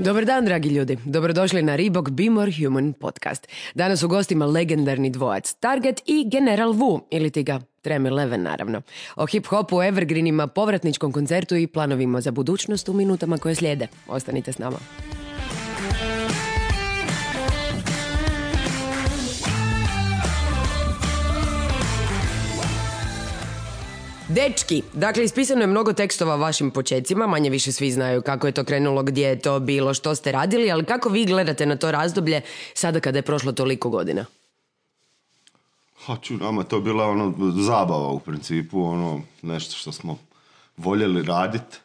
Dobar dan, dragi ljudi. Dobrodošli na Reebok Be More Human podcast. Danas u gostima legendarni dvojac Target i General Wu, ili ti ga Trem 11 naravno. O hip-hopu, evergreenima, povratničkom koncertu i planovima za budućnost u minutama koje slijede. Ostanite s nama. Dečki, dakle ispisano je mnogo tekstova o vašim počecima, manje više svi znaju kako je to krenulo, gdje je to bilo, što ste radili, ali kako vi gledate na to razdoblje sada kada je prošlo toliko godina? Nama to je bila zabava u principu, nešto što smo voljeli raditi,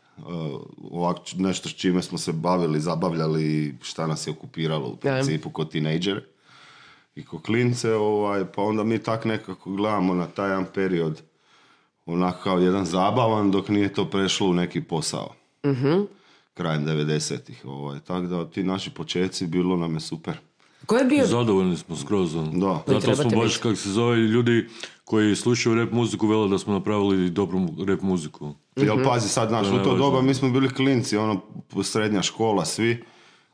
nešto s čime smo se bavili, zabavljali i šta nas je okupiralo u principu kao tinejdžere i kao klince, pa onda mi tak nekako gledamo na taj jedan period onako kao jedan zabavan dok nije to prešlo u neki posao. Krajem 90-ih. Tako da ti naši početci bilo nam je super. Ko je bio? Zadovoljni smo skroz. Da. Zato smo baš, kako se zove, ljudi koji slušaju rap muziku vele da smo napravili dobru rap muziku. Jel pazi sad, u to doba mi smo bili klinci, srednja škola, svi.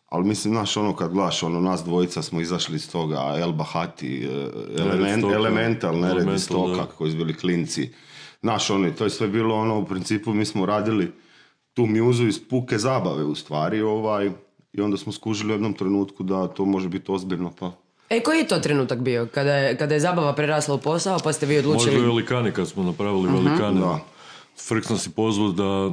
Ali mislim, kad gledaš, nas dvojica smo izašli iz toga, El Bahati, Elemental, Nered iz Stoka, koji su bili klinci. To je sve bilo u principu mi smo radili tu mjuzu iz puke zabave u stvari i onda smo skužili u jednom trenutku da to može biti ozbiljno pa. Koji je to trenutak bio? Kada je zabava prerasla u posao pa ste vi odlučili? Možda Velikani kad smo napravili Velikane. Da. Frks nas je pozvao da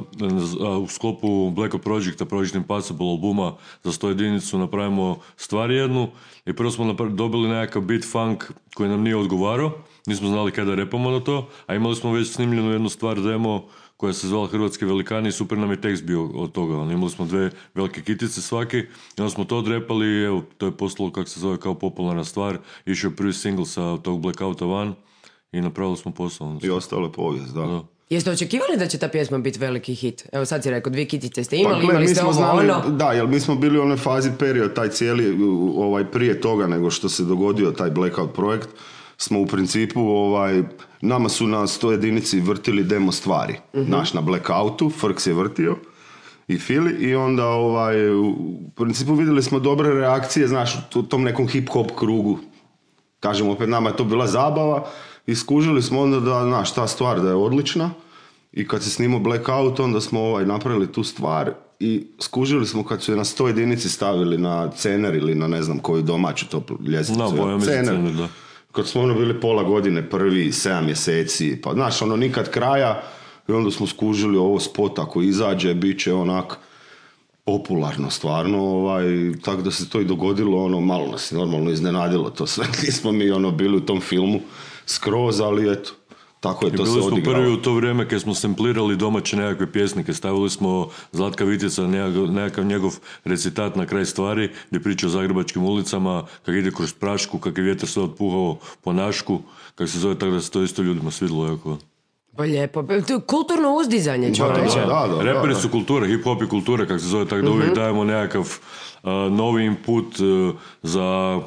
u sklopu Black Ops Projecta, Project Impossible albuma za 100 jedinicu napravimo stvar jednu i prvo smo dobili nekakav beat funk koji nam nije odgovarao, nismo znali kada repamo na to, a imali smo već snimljenu jednu stvar demo koja se zvala Hrvatski velikani i super nam je tekst bio od toga. Imali smo 2 velike kitice svaki i onda smo to odrepali i evo, to je postalo kako se zove kao popularna stvar, išao je prvi single sa tog Blackouta van i napravili smo posao. I ostalo je povijest, da. Jeste očekivali da će ta pjesma biti veliki hit? Evo sad si rekao, 2 kitice ste imali ste ovo Da, jer mi smo bili u onoj fazi period, taj cijeli, prije toga nego što se dogodio taj Blackout projekt, smo u principu, nama su na 100 jedinici vrtili demo stvari. Naš na Blackoutu, Frks je vrtio i Fili i onda u principu vidjeli smo dobre reakcije, u tom nekom hip-hop krugu. Kažem, opet nama je to bila zabava i skužili smo onda da, ta stvar da je odlična i kad se snimao Blackout onda smo napravili tu stvar i skužili smo kad su je na 100 jedinici stavili na Cener ili na ne znam koju domaću to ljestvicu. Cener, da. Kad smo bili pola godine prvi, 7 mjeseci, pa nikad kraja i onda smo skužili ovo spot ako izađe, bit će onak popularno stvarno, tako da se to i dogodilo, malo nas normalno iznenadilo to sve, nismo mi bili u tom filmu skroz, ali eto, tako je to se odigralo. Bili smo prvi u to vrijeme kad smo samplirali domaće nekakve pjesnike, stavili smo Zlatka Vitjeca, nekakav njegov recitat na kraj stvari, gdje priča o zagrebačkim ulicama, kak ide kroz prašku, kak je vjetar sve otpuhao po Našku, kak se zove, tako da se to isto ljudima svidilo jako. Pa lijepo, to je kulturno uzdizanje čovječe. Da. Reperi su kultura, hip-hop je kultura, kako se zove, tako da uvijek dajemo nekakav novi input za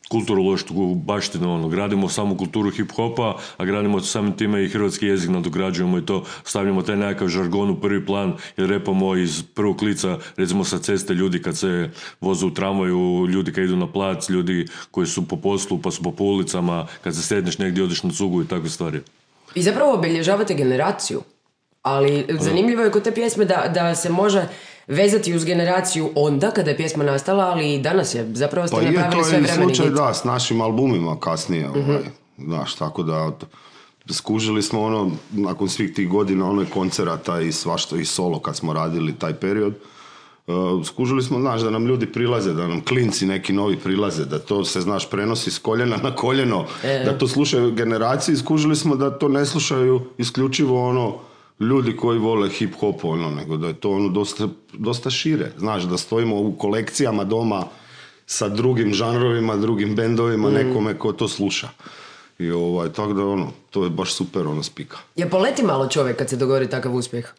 kulturološku baštinu, gradimo samu kulturu hip-hopa, a gradimo samim time i hrvatski jezik nadograđujemo i to stavljamo taj nekakav žargon u prvi plan jer repamo iz prvog lica, recimo sa ceste ljudi kad se voze u tramvaju, ljudi kad idu na plac, ljudi koji su po poslu pa su po ulicama, kad se sedneš negdje odeš na cugu i takve stvari. I zapravo obilježavate generaciju, ali zanimljivo je kod te pjesme da se može vezati uz generaciju onda kada je pjesma nastala, ali i danas je, zapravo ste napravili sve vremeni hit. Pa je, to je slučaj da, s našim albumima kasnije, tako da skužili smo nakon svih tih godina koncerata i svašta i solo kad smo radili taj period, skužili smo, da nam ljudi prilaze, da nam klinci neki novi prilaze, da to se, prenosi s koljena na koljeno, da to slušaju generacije, skužili smo da to ne slušaju isključivo ljudi koji vole hip-hop, nego da je to dosta šire, da stojimo u kolekcijama doma sa drugim žanrovima, drugim bendovima, nekome ko to sluša. I tako da to je baš super spika. Je poleti malo čovjek kad se dogodi takav uspjeh?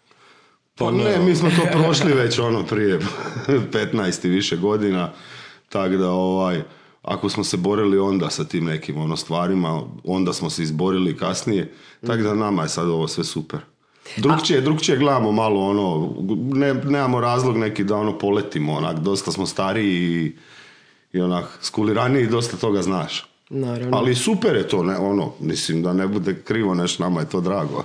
Pa ne, mi smo to prošli već prije 15 i više godina, tako da ako smo se borili onda sa tim nekim stvarima, onda smo se izborili kasnije, tako da nama je sad ovo sve super. Drugčije gledamo malo, ono, nemamo razlog neki da ono poletimo, onak, dosta smo stariji i onak, skuliraniji, dosta toga znaš. Naravno. Ali super je to, ne, ono, mislim da ne bude krivo nešto, nama je to drago.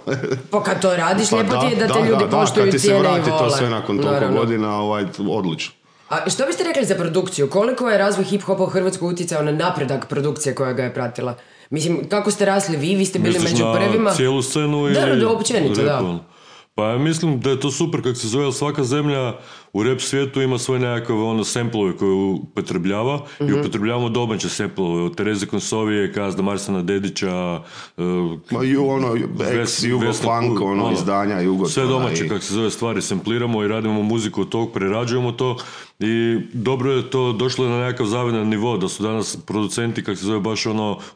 Pa kad to radiš, lijepo ti je da te ljudi poštuju, cijene i vole. Kad ti se vrati to sve nakon toliko godina, odlično. A što biste rekli za produkciju? Koliko je razvoj hip-hopa u Hrvatskoj utjecao na napredak produkcije koja ga je pratila? Mislim, kako ste rasli vi ste bili među prvima. Misliš na cijelu scenu ili... Da, općenito, da. Pa ja mislim da je to super kako se zove, svaka zemlja u rap svijetu ima svoje nekakve samplove koje upotrebljava i upotrebljavamo domaće samplove od Tereze Konsovije, Kazda Marsana Dedića, Jugo-funk, izdanja Jugo. Sve domaće, kako se zove, stvari sampliramo i radimo muziku od tog, prerađujemo to i dobro je to, došlo je na nekakav zavidan nivo, da su danas producenti, kako se zove, baš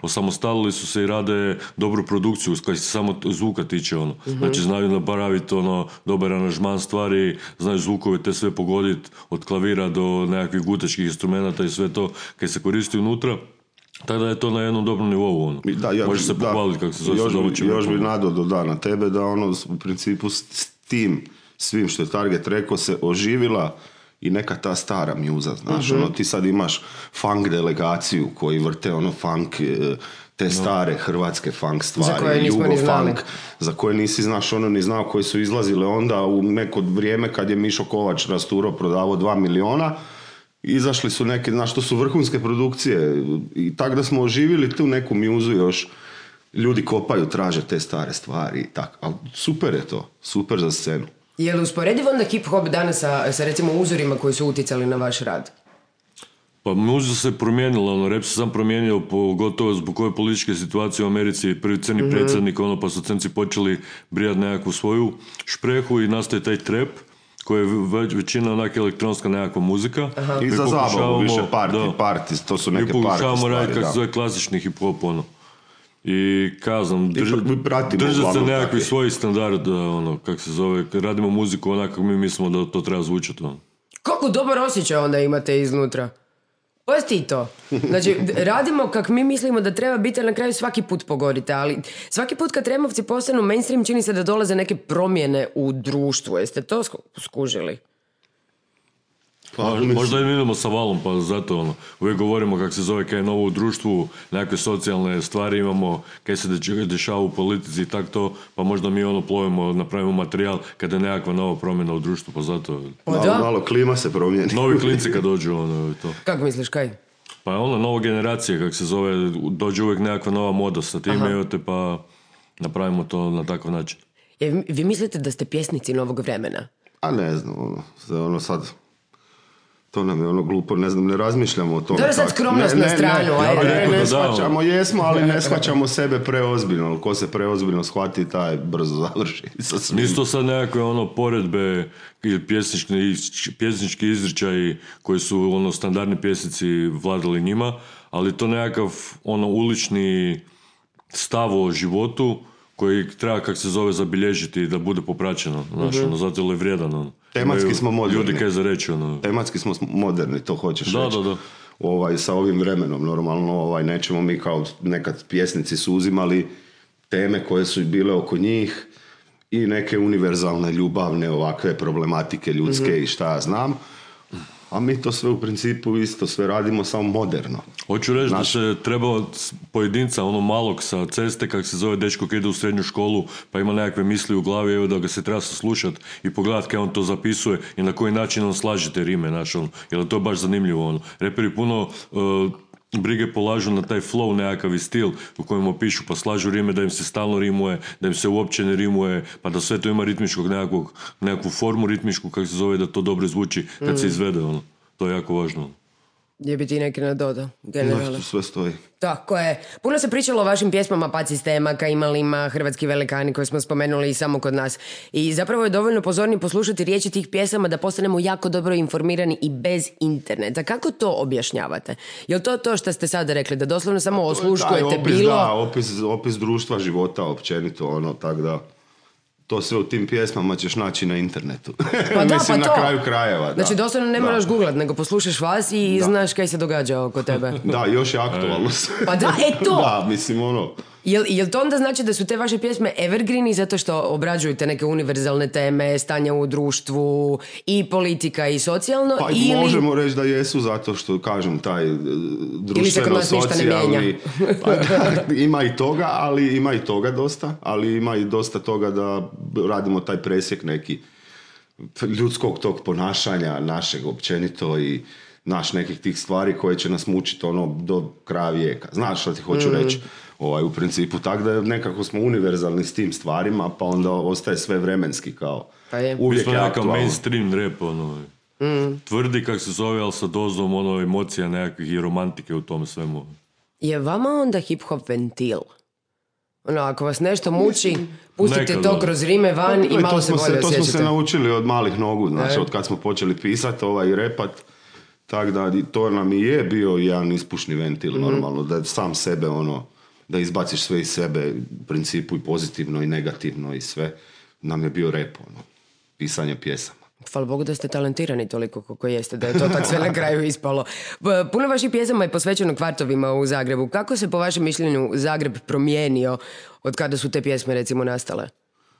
osamostalili su se i rade dobru produkciju, kada se samo zvuka tiče, Znači znaju napraviti dobar aranžman stvari, znaju zvukove te sve pogoditi od klavira do nekakvih gutačkih instrumenta i sve to kad se koristi unutra. Tada je to na jednom dobrom nivou. Može se pohvaliti kako se zove domaćim. Još bi nadodao na tebe da u principu s tim svim što je Target rekao se oživila i neka ta stara mjuza, znaš, ti sad imaš funk delegaciju koji vrte funk, te stare hrvatske funk stvari, Jugo-funk, za koje nisi znaš ni znao koje su izlazile onda u neko vrijeme kad je Mišo Kovač rasturo prodavao 2 miliona, izašli su neke, znaš, to su vrhunske produkcije i tako da smo oživili tu neku mjuzu još, ljudi kopaju, traže te stare stvari i tako, ali super je to, super za scenu. Je li usporedivo onda hip-hop danas sa recimo uzorima koji su utjecali na vaš rad? Pa muzika se promijenila, rap se sam promijenio pogotovo zbog ove političke situacije u Americi, prvi crni predsjednik, pa su crnci počeli brijati nekakvu svoju šprehu i nastaje taj trap koji je većina onak elektronska nekakva muzika. I za zabavu više party, to su neke party stvari. Mi pokušavamo raditi kako se zove klasični hip-hop, I kazam, držati se nekakvi svoji standard, kako se zove, radimo muziku onako mi mislimo da to treba zvučati. Kako dobar osjećaj onda imate iznutra? Pusti to. Znači, radimo kak mi mislimo da treba biti, ali na kraju svaki put pogorite, ali svaki put kad Removci postanu mainstream čini se da dolaze neke promjene u društvu. Jeste to skužili? Možda i mi idemo sa valom, pa zato uvijek govorimo kako se zove, kaj je novo u društvu, nekakve socijalne stvari imamo, kaj se dešava u politici i tako to, pa možda mi plovimo, napravimo materijal kada je nekakva nova promjena u društvu, pa zato... Malo klima se promijeni. Novi klinci kad dođu, to. Kako misliš, kaj? Pa nova generacija, kako se zove, dođe uvijek nekakva nova moda sa tim, pa napravimo to na takav način. Vi mislite da ste pjesnici novog vremena? A ne znam, sad... To nam je glupo, ne znam, ne razmišljamo o tome. Dobro, sad skromnost na stranu. Ne shvaćamo, jesmo, ali ne shvaćamo sebe preozbiljno. Ko se preozbiljno shvati, taj brzo završi. Nisu to sad nekakve poredbe ili pjesnički izričaji koji su standardni pjesnici vladali njima, ali to nekakav ulični stav o životu koji treba, kak se zove, zabilježiti da bude popraćeno. Zato je vrijedan. Tematski smo moderni. Ljudi kaj za reći, Tematski smo moderni, to hoćeš reći. Da. Sa ovim vremenom, normalno, nećemo mi kao nekad pjesnici su uzimali teme koje su bile oko njih i neke univerzalne, ljubavne, ovakve problematike ljudske i šta ja znam. A mi to sve u principu isto sve radimo samo moderno. Hoću reći da se treba pojedinca, malog sa ceste, kak se zove dečko koji ide u srednju školu, pa ima nekakve misli u glavi, evo da ga se treba saslušati i pogledati kaj on to zapisuje i na koji način on slaže te rime, jer to je baš zanimljivo. Reperi puno brige polažu na taj flow nekakav stil u kojem opišu, pa slažu rime da im se stalno rimuje, da im se uopće ne rimuje, pa da sve to ima ritmičkog nekakvu formu ritmičku, kako se zove, da to dobro zvuči kad se izvede. To je jako važno. Gdje bi ti neki nadodao, generalno? Sve stoji. Tako je. Puno se pričalo o vašim pjesmama, Pad sistema, Kaimalima, Hrvatski velikani koje smo spomenuli i samo kod nas. I zapravo je dovoljno pozorni poslušati riječi tih pjesama da postanemo jako dobro informirani i bez interneta. Kako to objašnjavate? Je li to što ste sada rekli, da doslovno samo osluškujete bilo? Da, opis društva, života, općenito, tako da... To sve u tim pjesmama ćeš naći na internetu. Pa da, mislim, pa na kraju krajeva. Da. Znači, doslovno ne moraš googlat, nego poslušaš vas i znaš kaj se događa oko tebe. Da, još je aktualno. Pa da, to! Da, mislim, Jel to onda znači da su te vaše pjesme evergreeni zato što obrađuju te neke univerzalne teme, stanja u društvu i politika i socijalno? Pa ili... možemo reći da jesu zato što, kažem, taj društveno-socijalni... Ima i toga, ali ima i toga dosta, ali ima i dosta toga da radimo taj presjek neki ljudskog tog ponašanja našeg općenito i nekih tih stvari koje će nas mučiti do kraja vijeka. Znaš što ti hoću reći? U principu, tako da nekako smo univerzalni s tim stvarima, pa onda ostaje sve vremenski kao uvijek je aktualno. Mainstream rap, tvrdi kak se zove, ali sa dozom emocija nekakvih i romantike u tom svemu. Je vama onda hip-hop ventil? Ako vas nešto muči, pustite to kroz rime van i malo se bolje osjećate. To smo se naučili od malih nogu, znači od kad smo počeli pisati i repat, tako da to nam i je bio jedan ispušni ventil, normalno, da sam sebe da izbaciš sve iz sebe, u principu i pozitivno i negativno i sve, nam je bio rap, pisanje pjesama. Hvala Bogu da ste talentirani toliko koliko jeste, da je to tak sve na kraju ispalo. Puno vaših pjesama je posvećeno kvartovima u Zagrebu. Kako se po vašem mišljenju Zagreb promijenio od kada su te pjesme recimo nastale?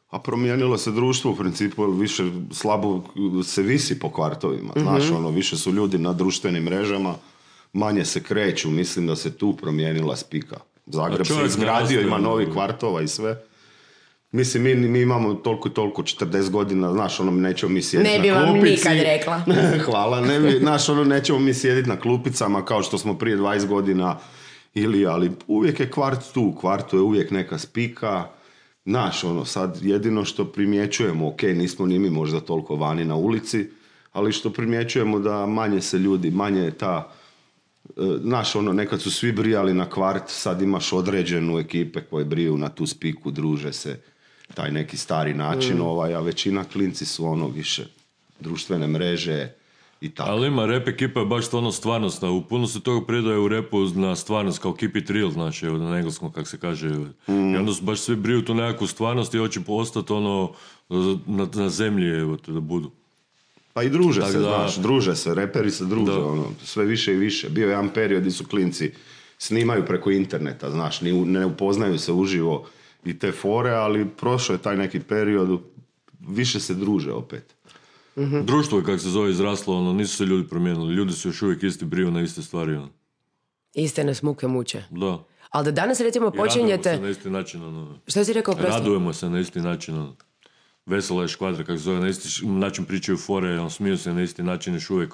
A promijenilo se društvo u principu, više slabo se visi po kvartovima. Znaš, više su ljudi na društvenim mrežama, manje se kreću, mislim da se tu promijenila spika. Zagreb se izgradio, ima novi kvartova i sve. Mislim, mi imamo toliko 40 godina, znaš, nećemo mi sjediti na klupici. Ne bi vam nikad rekla. Hvala, znaš, nećemo mi sjediti na klupicama kao što smo prije 20 godina ali uvijek je kvart tu, u kvartu je uvijek neka spika. Znaš, sad jedino što primjećujemo, ok, nismo ni mi možda toliko vani na ulici, ali što primjećujemo da manje se ljudi, manje je ta, znaš, nekad su svi brijali na kvart, sad imaš određenu ekipe koje briju na tu spiku, druže se, taj neki stari način, a većina klinci su više društvene mreže i tako. Ali ima rap ekipa je baš stvarnost, u puno se toga predaje u rapu na stvarnost, kao keep it real, znači, na engleskom, kako se kaže. I onda su baš svi briju tu nekakvu stvarnost i hoće postati na zemlji, da budu. Pa i druže se, znaš, druže se, reperi se druže, sve više i više. Bio je jedan period gdje su klinci snimaju preko interneta, znaš, ne upoznaju se uživo i te fore, ali prošao je taj neki period, više se druže opet. Mm-hmm. Društvo je, kako se zove, izraslo, nisu se ljudi promijenili, ljudi su još uvijek isti, briju na iste stvari. Iste nas muke muče. Da. Ali da danas recimo počinjete... Radujemo se na isti način. Što si rekao prosto? Radujemo se na isti način. Vesela je škvadra, kako se zove, na isti način pričaju fore, smiju se na isti način još uvijek,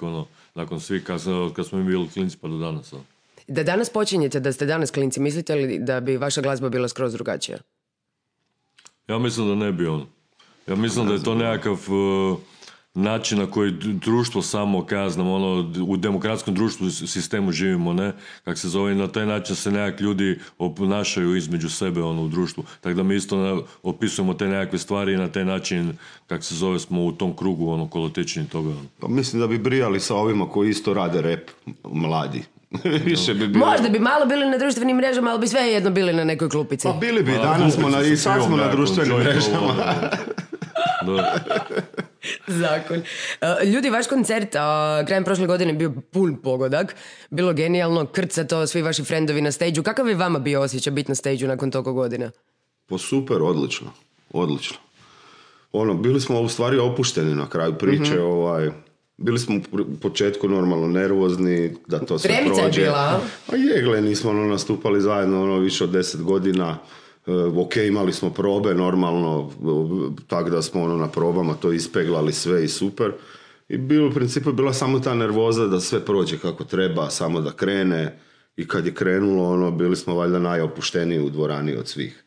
nakon svih, kad smo mi bili klinci pa do danas. Da danas počinjete, da ste danas klinci, mislite li da bi vaša glazba bila skroz drugačija? Ja mislim da ne bi Ja mislim da je to nekakav način na koji društvo samo, kaj znam, u demokratskom društvu sistemu živimo, ne? Kako se zove, na taj način se nekak ljudi oponašaju između sebe u društvu. Tako da mi isto opisujemo te nekakve stvari i na taj način, kako se zove, smo u tom krugu kolotečni toga. Pa mislim da bi brijali sa ovima koji isto rade rap, mladi. Više bi bilo. Možda bi malo bili na društvenim mrežama, ali bi sve jedno bili na nekoj klupici. Pa bili bi, danas smo i sad smo na društvenim mrežama. Zakon. Ljudi, vaš koncert krajem prošle godine bio pun pogodak. Bilo genijalno, krcato, svi vaši frendovi na stage-u. Kakav je vama bio osjećaj biti na stage-u nakon toliko godina? Pa super, odlično. Bili smo u stvari opušteni na kraju priče, bili smo u početku normalno nervozni, da to sve prođe. Tremica je bila, a? A nismo nastupali zajedno više od 10 godina. Ok, imali smo probe normalno, tako da smo na probama to ispeglali sve i super. I u principu bila samo ta nervoza da sve prođe kako treba, samo da krene. I kad je krenulo, bili smo valjda najopušteniji u dvorani od svih.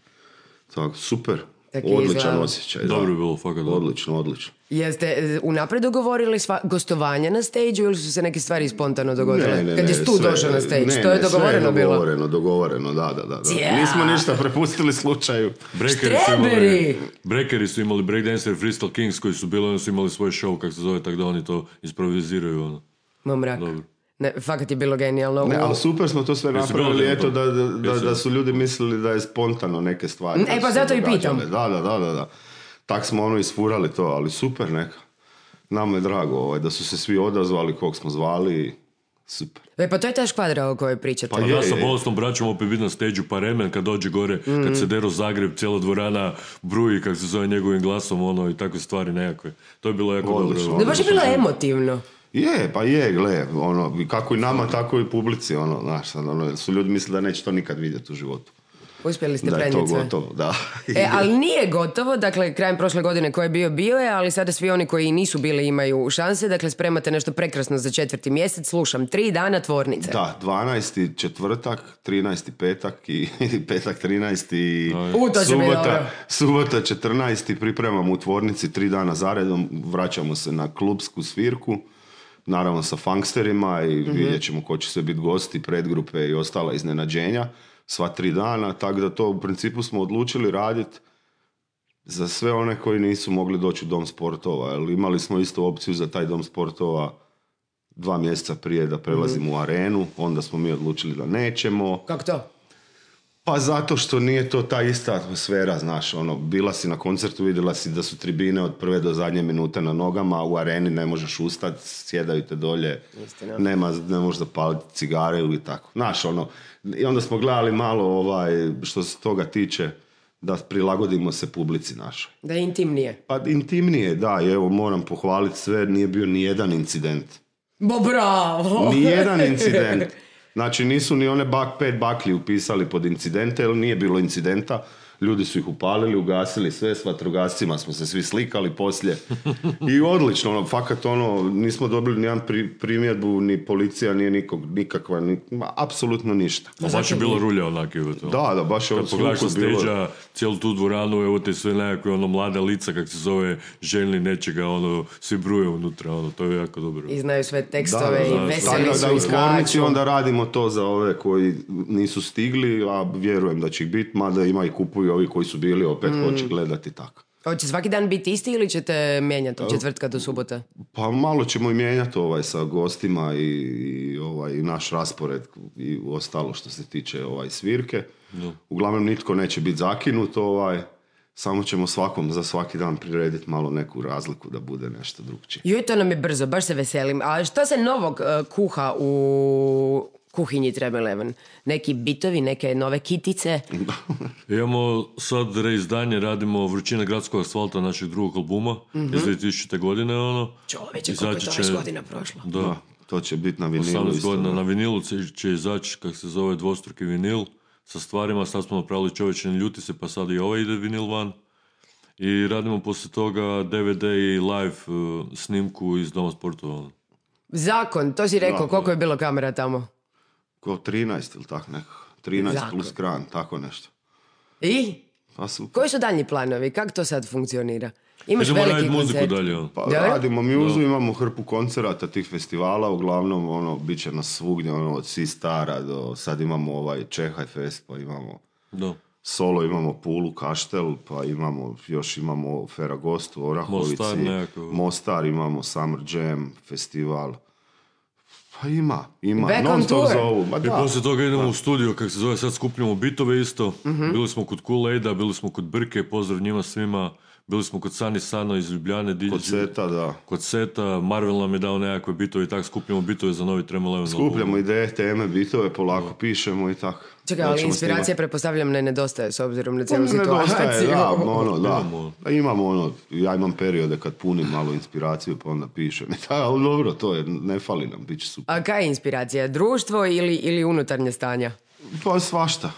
Tako, super. Odličan osjećaj. Dobro je bilo, fakat. Odlično. Jeste unaprijed dogovorili gostovanja na stage-u ili su se neke stvari spontano dogodile? Kad je Stu došao na stage, to je dogovoreno bilo? Dogovoreno, da. Yeah. Nismo ništa prepustili slučaju. Breakeri su imali breakdancer Freestyle Kings koji su bili, oni su imali svoj show, kako se zove, tako da oni to improviziraju. Mrak. Dobro. Ne, fakat je bilo genijalno. Ne, ali super smo to sve napravili, eto da su ljudi mislili da je spontano neke stvari. Pa zato i pitam. Da. Tak smo isfurali to, ali super neka. Nama je drago da su se svi odazvali kog smo zvali. super. Pa to je ta škvadra o kojoj pričate. Pa Ja sa bolesnom braćom opet biti na stage pa remen kad dođe gore, kad se deru Zagreb, cijela dvorana bruji, kak se zove njegovim glasom, i takve stvari nekakve. To je bilo jako Odlično. dobro. Da baš je bilo emotivno. Gle, kako i nama, tako i publici, znaš, su ljudi mislili da neće to nikad vidjeti u životu. Uspjeli ste Da je to prenijeti sve. gotovo, da. Ali nije gotovo, dakle, krajem prošle godine ko je bio je, ali sada svi oni koji nisu bili imaju šanse, dakle, spremate nešto prekrasno za 4. mjesec, slušam, 3 dana tvornice. Da, 12. četvrtak, 13. petak i petak 13. i to će biti dobro. subota 14. pripremamo u tvornici 3 dana zaredom, vraćamo se na klubsku svirku, naravno sa funksterima i vidjet ćemo ko će sve biti gosti, predgrupe i ostala iznenađenja. Sva 3 dana, tako da to u principu smo odlučili raditi za sve one koji nisu mogli doći u Dom sportova. Jer imali smo isto opciju za taj Dom sportova 2 mjeseca prije da prelazimo u arenu, onda smo mi odlučili da nećemo. Kako to? Pa zato što nije to ta ista atmosfera, znaš, bila si na koncertu, vidjela si da su tribine od prve do zadnje minute na nogama, u areni ne možeš ustati, sjedaju te dolje, ne možeš zapaliti cigare ili tako. Znaš, i onda smo gledali malo što se toga tiče, da prilagodimo se publici našoj. Da je intimnije. Pa intimnije, da, i evo moram pohvaliti sve, nije bio ni jedan incident. Bravo! Ni jedan incident. Znači nisu ni one 5 baklji upisali pod incidente, jer nije bilo incidenta. Ljudi su ih upalili, ugasili sve, s vatrogascima smo se svi slikali poslije. I odlično, fakat nismo dobili ni jedan primjedbu, ni policija, nije nikakva, apsolutno ništa. Baš je bilo rulja onak. Da, baš je kad pogledaš sa stage-a, cijelu tu dvoranu, evo te sve nekakve mlada lica, kak se zove, željni nečega, svi bruje unutra, to je jako dobro. I znaju sve tekstove i veseli su u iskaču. tvornici onda radimo to za ove koji nisu stigli, a vjerujem da će ih biti, mada ima i kupuju ovi koji su bili, opet hoće gledati tako. Hoće svaki dan biti isti ili ćete mijenjati od četvrtka do subota? Pa malo ćemo i mijenjati sa gostima i naš raspored i ostalo što se tiče svirke. Uglavnom nitko neće biti zakinut, samo ćemo svakom za svaki dan prirediti malo neku razliku da bude nešto drugčije. Joj, to nam je brzo, baš se veselim. A što se novog kuha u kuhinji Treble Eleven? Neki bitovi, neke nove kitice? Imamo sad reizdanje, radimo Vrućina gradskog asfalta našeg drugog albuma iz 2000. godine. Čoveče, koliko je to već godina prošlo. Da, to će biti na vinilu. 18 godina na vinilu će izaći, kak se zove, dvostruki vinil sa stvarima. Sad smo napravili Čovječe ne ljuti se, pa sad i ovaj ide vinil van. I radimo poslije toga DVD i live snimku iz Doma sportova. Zakon, to si rekao, koliko je bilo kamera tamo? Ko 13 ili tako nekako. 13 Zakon. Plus kran, tako nešto. I? Pa super. Koji su daljnji planovi? Kako to sad funkcionira? Imaš veliki koncert? Dalje. Pa radimo muzu, imamo hrpu koncerata tih festivala, uglavnom bit će nas svugdje, od Sistara do sad imamo Čehaj Fest, pa imamo Solo, imamo Pulu, Kaštel, pa imamo Feragost u Orahovici, Mostar, imamo Summer Jam festival. Pa ima, non stop zovu. I poslije toga idemo u studio, kak se zove, sad skupljamo bitove isto. Bili smo kod Kool-Aida, bili smo kod Brke, pozdrav njima svima. Bili smo kod Sani Sano iz Ljubljane. Kod Seta, da. Kod Seta, Marvel nam je dao nekakve bitove i tako skupljamo bitove za novi Treble Eleven. Skupljamo ideje, teme, bitove, polako pišemo i tako. Čekaj, ali inspiracija pretpostavljam ne nedostaje s obzirom na cijelu situaciju. Imamo ja imam periode kad punim malo inspiraciju pa onda pišem. Ali dobro, to je, ne fali nam, bit će super. A kaj je inspiracija? Društvo ili unutarnje stanja? Pa svašta.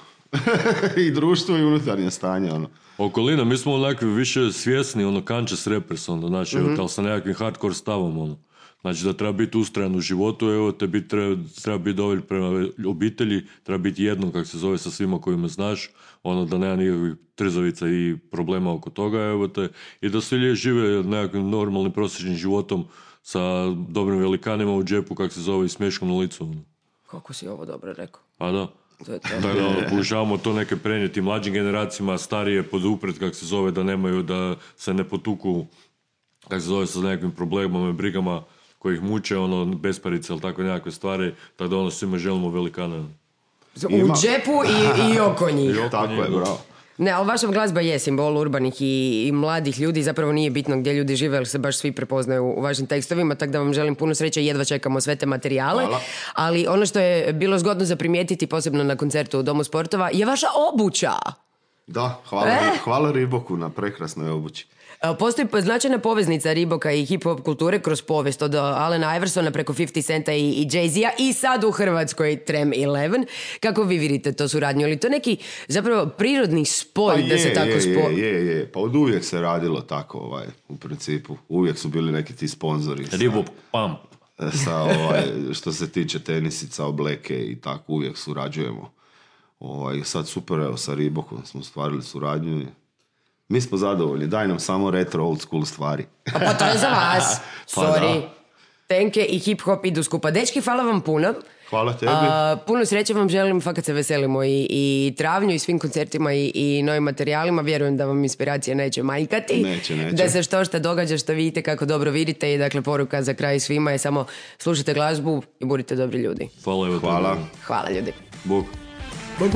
I društvo i unutarnje stanje, Okolina, mi smo onakvi više svjesni, conscious rappers, znači, ali sa nekakvim hardcore stavom, Znači da treba biti ustrajan u životu, evo te treba biti dovolj prema obitelji, treba biti jedno, kak se zove, sa svima kojima znaš, da nema nikakvih trzavica i problema oko toga, evo te, i da svi žive nekakvim normalnim prosječnim životom sa dobrim velikanima u džepu, kak se zove, i smješkom na licu. Kako si ovo dobro rekao? A da. Pokušavamo to neke prenijeti mlađim generacijama, starije podupret, kak se zove, da nemaju, da se ne potuku, kak se zove, sa nekakvim problemama i brigama koji ih muče, besparice ili tako nekakve stvari, tako da svima želimo velikane. U džepu i oko njih. Tako je, bravo. Ne, ali vaša glazba je simbol urbanih i mladih ljudi, zapravo nije bitno gdje ljudi žive, jer se baš svi prepoznaju u vašim tekstovima, tako da vam želim puno sreće i jedva čekamo sve te materijale. Hvala. Ali ono što je bilo zgodno za primijetiti, posebno na koncertu u Domu sportova, je vaša obuća. Da, hvala Reeboku na prekrasnoj obući. Postoji značajna poveznica Reeboka i hip-hop kulture kroz povijest od Alena Iversona preko 50 Centa i Jay-Z-a i sad u Hrvatskoj Trem 11. Kako vi vidite to suradnju? Ili to neki zapravo prirodni spoj da se tako spoji? Je. Pa od uvijek se radilo tako, u principu. Uvijek su bili neki ti sponzori. Reebok Pump. Što se tiče tenisica, obleke i tako, uvijek surađujemo. Sad super, evo, sa Reebokom smo stvarili suradnju i mi smo zadovoljni, daj nam samo retro old school stvari. Pa to je za vas. Pa Sorry. Tenke i hip-hop idu skupa. Dečki, hvala vam puno. Hvala tebi. Puno sreće vam želim, fakat se veselimo i travnju i svim koncertima i novim materijalima. Vjerujem da vam inspiracija neće manjkati. Neće. Da se što događa, što vidite, kako dobro vidite i dakle poruka za kraj svima je samo slušajte glazbu i budite dobri ljudi. Hvala. Hvala ljudi. Bog. Bog.